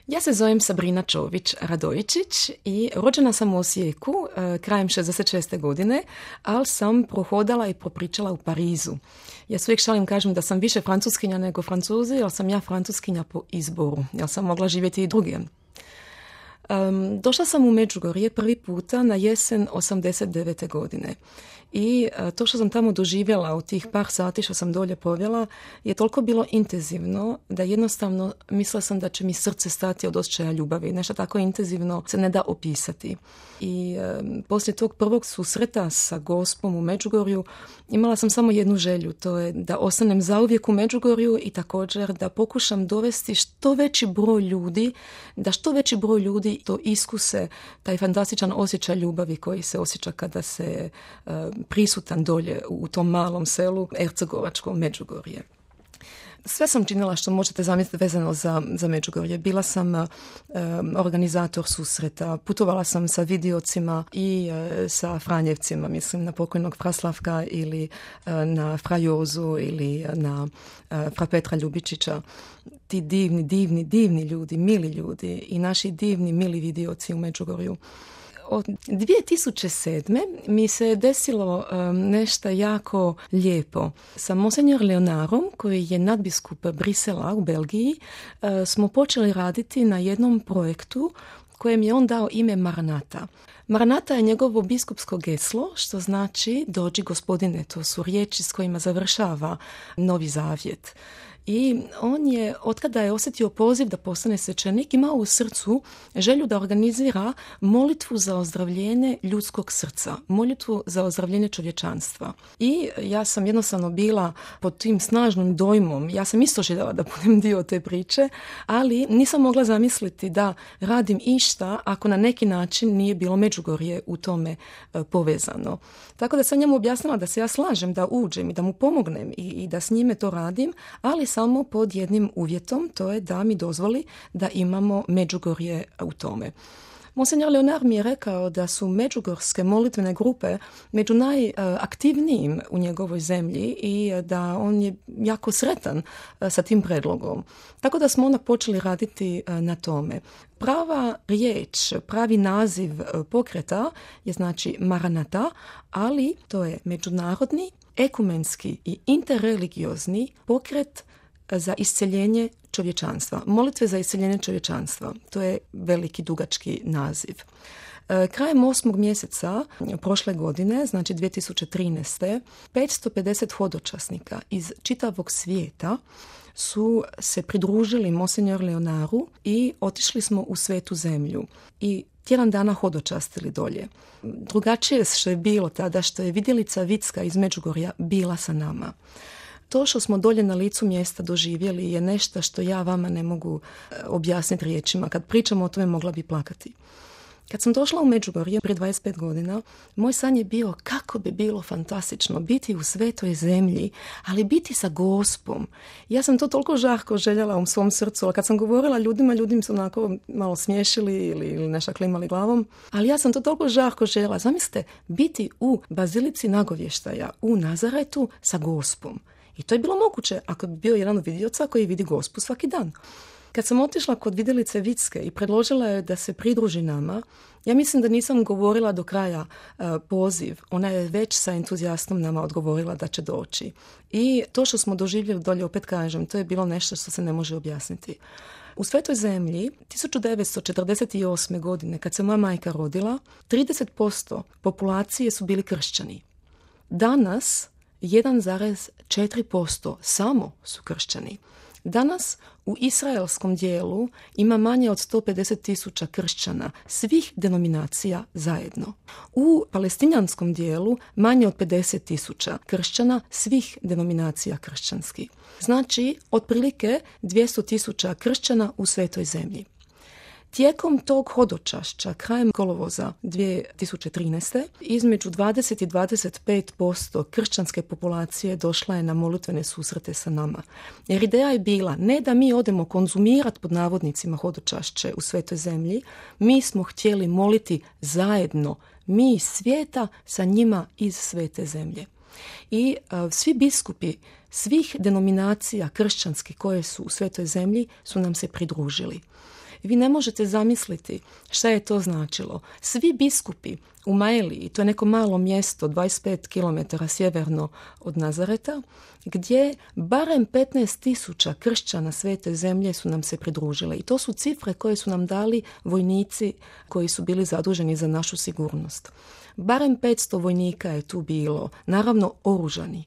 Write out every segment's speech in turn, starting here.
Ja se zovem Sabrina Čović-Radojičić i rođena sam u Osijeku krajem 66. godine, ali sam prohodala i popričala u Parizu. Ja se uvijek šalim, kažem da sam više francuskinja nego Francuzi, jer sam ja francuskinja po izboru, jer sam mogla živjeti i drugdje. Došla sam u Međugorje prvi puta na jesen 89. godine. I to što sam tamo doživjela u tih par sati što sam dolje povjela je toliko bilo intenzivno da jednostavno mislila sam da će mi srce stati od osjećaja ljubavi. Nešto tako intenzivno se ne da opisati. I poslije tog prvog susreta sa Gospom u Međugorju imala sam samo jednu želju, to je da ostanem zauvijek u Međugorju i također da pokušam dovesti što veći broj ljudi, da što veći broj ljudi to iskuse, taj fantastičan osjećaj ljubavi koji se osjeća kada se prisutan dolje u tom malom selu Ercegovačko Međugorje. Sve sam činila što možete zamisliti vezano za Međugorje. Bila sam organizator susreta, putovala sam sa Vidiocima i sa Franjevcima, mislim na pokojnog Fraslavka ili na Fra Jozu ili na Fra Petra Ljubičića. Ti divni ljudi, mili ljudi i naši divni, mili Vidioci u Međugorju. Od 2007. mi se desilo nešto jako lijepo. Sa Monsenjor Leonarom, koji je nadbiskup Brisela u Belgiji, smo počeli raditi na jednom projektu kojem je on dao ime Maranata. Maranata je njegovo biskupsko geslo, što znači dođi gospodine, to su riječi s kojima završava Novi Zavjet. I on je, otkada je osjetio poziv da postane svećenik, imao u srcu želju da organizira molitvu za ozdravljenje ljudskog srca, molitvu za ozdravljenje čovječanstva. I ja sam jednostavno bila pod tim snažnim dojmom, ja sam isto željela da budem dio te priče, ali nisam mogla zamisliti da radim išta ako na neki način nije bilo Međugorje u tome povezano. Tako da sam njemu objasnila da se ja slažem da uđem i da mu pomognem i da s njime to radim, ali samo pod jednim uvjetom, to je da mi dozvoli da imamo Međugorje u tome. Monsenjor Leonar mi je rekao da su međugorske molitvene grupe među najaktivnijim u njegovoj zemlji i da on je jako sretan sa tim predlogom. Tako da smo onda počeli raditi na tome. Prava riječ, pravi naziv pokreta je znači Maranata, ali to je međunarodni, ekumenski i interreligiozni pokret za isceljenje čovječanstva. Molitve za isceljenje čovječanstva. To je veliki, dugački naziv. Krajem 8. mjeseca prošle godine, znači 2013. 550 hodočasnika iz čitavog svijeta su se pridružili Monsenjor Leonaru i otišli smo u Svetu zemlju. I tjedan dana hodočastili dolje. Drugačije što je bilo tada, što je vidjelica Vicka iz Međugorja bila sa nama. To što smo dolje na licu mjesta doživjeli je nešto što ja vama ne mogu objasniti riječima. Kad pričamo o tome mogla bi plakati. Kad sam došla u Međugorje prije 25 godina, moj san je bio kako bi bilo fantastično biti u svetoj zemlji, ali biti sa Gospom. Ja sam to toliko žarko željela u svom srcu, ali kad sam govorila ljudima, ljudi mi su onako malo smiješili ili nešto klimali glavom, ali ja sam to toliko žarko željela. Zamislite, biti u Bazilici Nagovještaja u Nazaretu sa Gospom. I to je bilo moguće ako bi bio jedan od vidioca koji vidi Gospu svaki dan. Kad sam otišla kod vidjelice Vicke i predložila je da se pridruži nama, ja mislim da nisam govorila do kraja poziv. Ona je već sa entuzijastom nama odgovorila da će doći. I to što smo doživjeli dolje, opet kažem, to je bilo nešto što se ne može objasniti. U Svetoj zemlji 1948. godine, kad se moja majka rodila, 30% populacije su bili kršćani. Danas 1,4% samo su kršćani. Danas u izraelskom dijelu ima manje od 150,000 kršćana svih denominacija zajedno. U palestinjanskom dijelu manje od 50,000 kršćana svih denominacija kršćanskih. Znači, otprilike 200,000 kršćana u Svetoj zemlji. Tijekom tog hodočašća, krajem kolovoza 2013. između 20 i 25% kršćanske populacije došla je na molitvene susrete sa nama. Jer ideja je bila ne da mi odemo konzumirati pod navodnicima hodočašće u Svetoj zemlji, mi smo htjeli moliti zajedno, mi iz svijeta sa njima iz Svete zemlje. I svi biskupi svih denominacija kršćanskih koje su u Svetoj zemlji su nam se pridružili. Vi ne možete zamisliti šta je to značilo. Svi biskupi u Maeliji, to je neko malo mjesto 25 km sjeverno od Nazareta, gdje barem 15,000 kršćana Svete zemlje su nam se pridružile. I to su cifre koje su nam dali vojnici koji su bili zaduženi za našu sigurnost. Barem 500 vojnika je tu bilo, naravno oružani.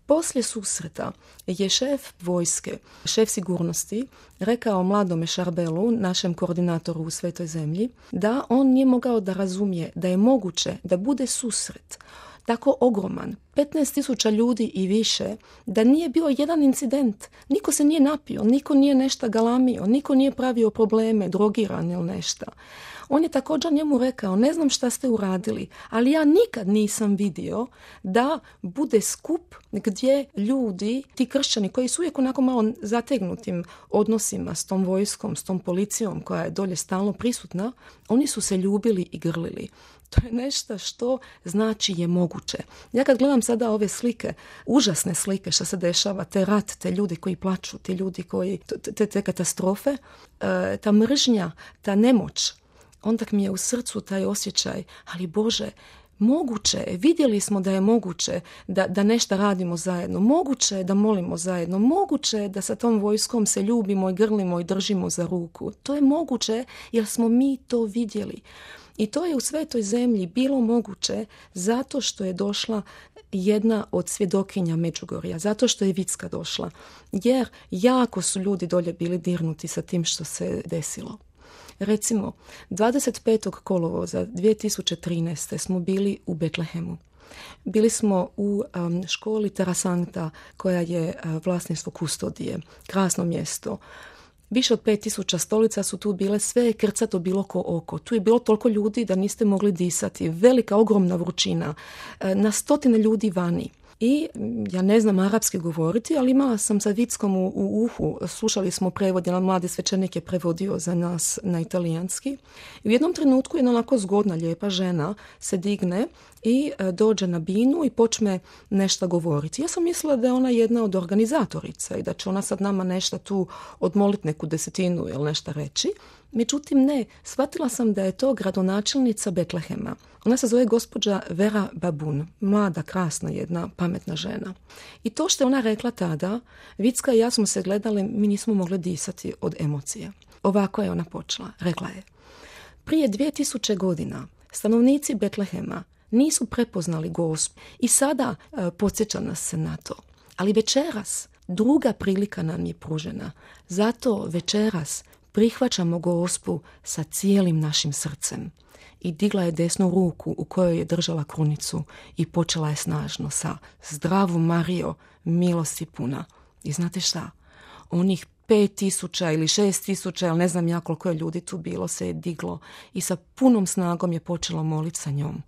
Poslije susreta je šef vojske, šef sigurnosti, rekao mladome Šarbelu, našem koordinatoru u Svetoj zemlji, da on nije mogao da razumije da je moguće da bude susret tako ogroman, 15,000 ljudi i više, da nije bio jedan incident. Niko se nije napio, niko nije nešto galamio, niko nije pravio probleme, drogiran ili nešto. On je također njemu rekao, ne znam šta ste uradili, ali ja nikad nisam vidio da bude skup gdje ljudi, ti kršćani koji su uvijek onako malo zategnutim odnosima s tom vojskom, s tom policijom koja je dolje stalno prisutna, oni su se ljubili i grlili. To je nešto što znači je moguće. Ja kad gledam sada ove slike, užasne slike što se dešava, te rat, te ljudi koji plaču, ti ljudi koji, te katastrofe, ta mržnja, ta nemoć, onda mi je u srcu taj osjećaj, ali Bože, moguće je, vidjeli smo da je moguće da nešto radimo zajedno, moguće je da molimo zajedno, moguće je da sa tom vojskom se ljubimo i grlimo i držimo za ruku. To je moguće jer smo mi to vidjeli. I to je u Svetoj zemlji bilo moguće zato što je došla jedna od svjedokinja Međugorja, zato što je Vicka došla. Jer jako su ljudi dolje bili dirnuti sa tim što se desilo. Recimo, 25. kolovoza 2013. smo bili u Betlehemu. Bili smo u školi Terasanta koja je vlasništvo Kustodije. Krasno mjesto. Više od 5,000 stolica su tu bile, sve je krcato bilo ko oko. Tu je bilo toliko ljudi da niste mogli disati. Velika, ogromna vrućina. Na stotine ljudi vani. I ja ne znam arapski govoriti, ali imala sam sa Vickom u uhu. Slušali smo prevod, jedan mladi svećenik je prevodio za nas na italijanski. I u jednom trenutku jedna onako zgodna, lijepa žena se digne i dođe na binu i počne nešto govoriti. Ja sam mislila da je ona jedna od organizatorica i da će ona sad nama nešto tu odmoliti, neku desetinu ili nešto reći. Međutim, ne, shvatila sam da je to gradonačelnica Betlehema. Ona se zove gospođa Vera Babun, mlada, krasna, jedna pametna žena. I to što je ona rekla tada, Vicka i ja smo se gledali, mi nismo mogli disati od emocija. Ovako je ona počela, rekla je. Prije 2000 godina stanovnici Betlehema nisu prepoznali Gospu i sada podsjeća nas se na to. Ali večeras druga prilika nam je pružena. Zato večeras prihvaćamo Gospu sa cijelim našim srcem. I digla je desnu ruku u kojoj je držala krunicu i počela je snažno sa Zdravu Marijo, milosti puna. I znate šta? Onih 5,000 ili 6,000, ali ne znam ja koliko je ljudi tu bilo, se je diglo i sa punom snagom je počelo moliti sa njom.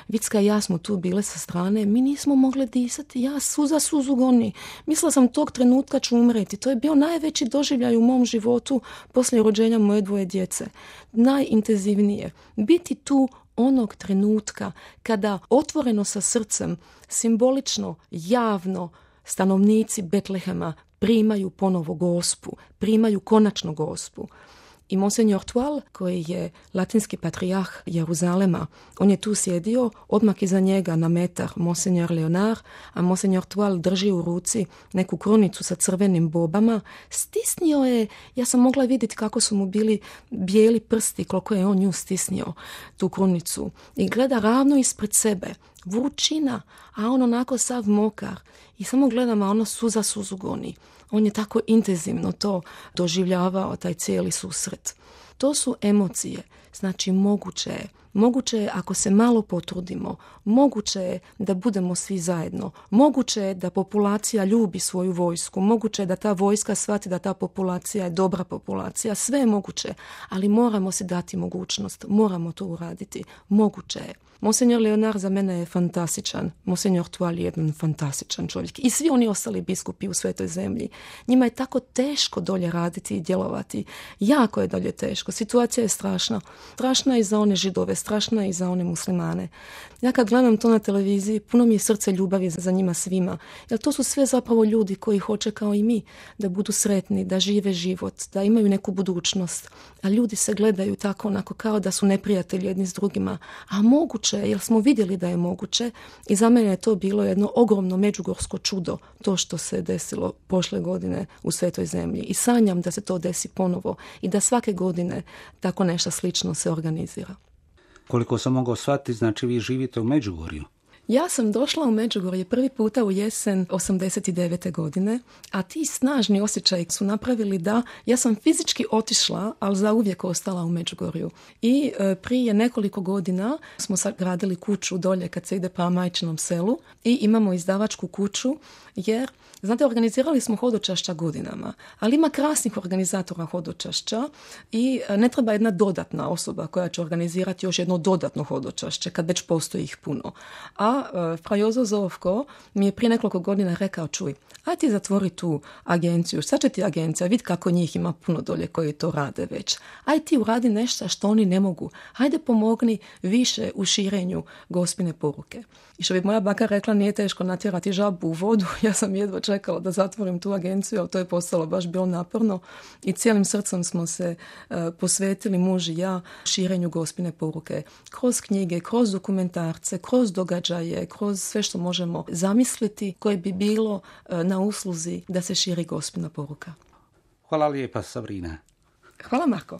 Vicka i ja smo tu bile sa strane, mi nismo mogli disati, ja suzu goni. Mislila sam tog trenutka ću umreti. To je bio najveći doživljaj u mom životu poslije rođenja moje 2 djece. Najintenzivnije. Biti tu onog trenutka kada otvoreno sa srcem, simbolično, javno, stanovnici Betlehema primaju ponovo Gospu, primaju konačno Gospu. I Monsignor Toile, koji je latinski patrijarh Jeruzalema, on je tu sjedio, odmah iza njega na metar Monsignor Leonard, a Monsignor Toile drži u ruci neku krunicu sa crvenim bobama. Stisnio je, ja sam mogla vidjeti kako su mu bili bijeli prsti, koliko je on nju stisnio, tu krunicu. I gleda ravno ispred sebe, vrućina, a on onako sav mokar. I samo gledam, a ono suzu goni. On je tako intenzivno to doživljavao, taj cijeli susret. To su emocije. Znači, moguće je ako se malo potrudimo, moguće je da budemo svi zajedno, moguće je da populacija ljubi svoju vojsku, moguće je da ta vojska shvati da ta populacija je dobra populacija, sve je moguće, ali moramo si dati mogućnost, moramo to uraditi, moguće je. Monsignor Leonard za mene je fantastičan, Monsignor Toile je jedan fantastičan čovjek i svi oni ostali biskupi u Svetoj zemlji. Njima je tako teško dolje raditi i djelovati, jako je dolje teško, situacija je strašna. Strašna je i za one Židove, strašna i za one muslimane. Ja kad gledam to na televiziji, puno mi je srce ljubavi za njima svima, jer to su sve zapravo ljudi koji hoće kao i mi da budu sretni, da žive život, da imaju neku budućnost. A ljudi se gledaju tako onako kao da su neprijatelji jedni s drugima. A moguće, jer smo vidjeli da je moguće, i za mene je to bilo jedno ogromno međugorsko čudo, to što se desilo prošle godine u Svetoj zemlji. I sanjam da se to desi ponovo i da svake godine tako nešto slično se organizira. Koliko sam mogao shvatiti, znači vi živite u Međugorju. Ja sam došla u Međugorje prvi puta u jesen 89. godine, a ti snažni osjećaji su napravili da ja sam fizički otišla, ali zauvijek ostala u Međugorju. I prije nekoliko godina smo sagradili kuću dolje kad se ide prema majčinom selu i imamo izdavačku kuću, jer znate, organizirali smo hodočašća godinama, ali ima krasnih organizatora hodočašća i ne treba jedna dodatna osoba koja će organizirati još jedno dodatno hodočašće kad već postoji ih puno. A Frajozo Zovko mi je prije nekoliko godina rekao, čuj, aj ti zatvori tu agenciju, šta će ti agencija, vidi kako njih ima puno dolje koji to rade već. Aj ti uradi nešto što oni ne mogu. Hajde pomogni više u širenju Gospine poruke. I što bi moja baka rekla, nije teško natjerati žabu u vodu. Ja sam jedva čekala da zatvorim tu agenciju, ali to je postalo baš bilo naporno i cijelim srcem smo se posvetili, muž i ja, širenju Gospine poruke. Kroz knjige, kroz dokumentarce, kroz događaje, kroz sve što možemo zamisliti koje bi bilo na usluzi da se širi Gospina poruka. Hvala lijepa, Sabrina. Hvala, Marko.